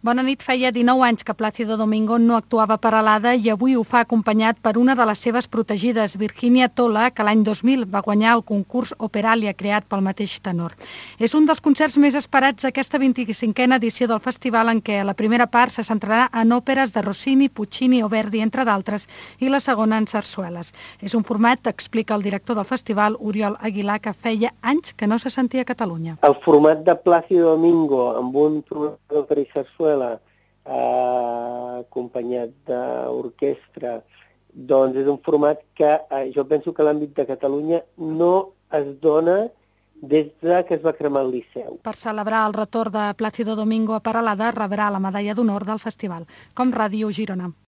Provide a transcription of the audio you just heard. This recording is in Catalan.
Bona nit, feia 19 anys que Plácido Domingo no actuava per Alada i avui ho fa acompanyat per una de les seves protegides, Virginia Tola, que l'any 2000 va guanyar el concurs Operalia creat pel mateix tenor. És un dels concerts més esperats d'aquesta 25a edició del festival, en què la primera part se centrarà en òperes de Rossini, Puccini o Verdi, entre d'altres, i la segona en sarsueles. És un format, explica el director del festival, Oriol Aguilar, que feia anys que no se sentia a Catalunya. El format de Plácido Domingo amb un programa d'òpera i sarsuela acompanyat d'orquestra, doncs és un format que jo penso que a l'àmbit de Catalunya no es dona des que es va cremar el Liceu. Per celebrar el retorn de Plácido Domingo a Peralada rebrà la medalla d'honor del festival. Com Ràdio Girona.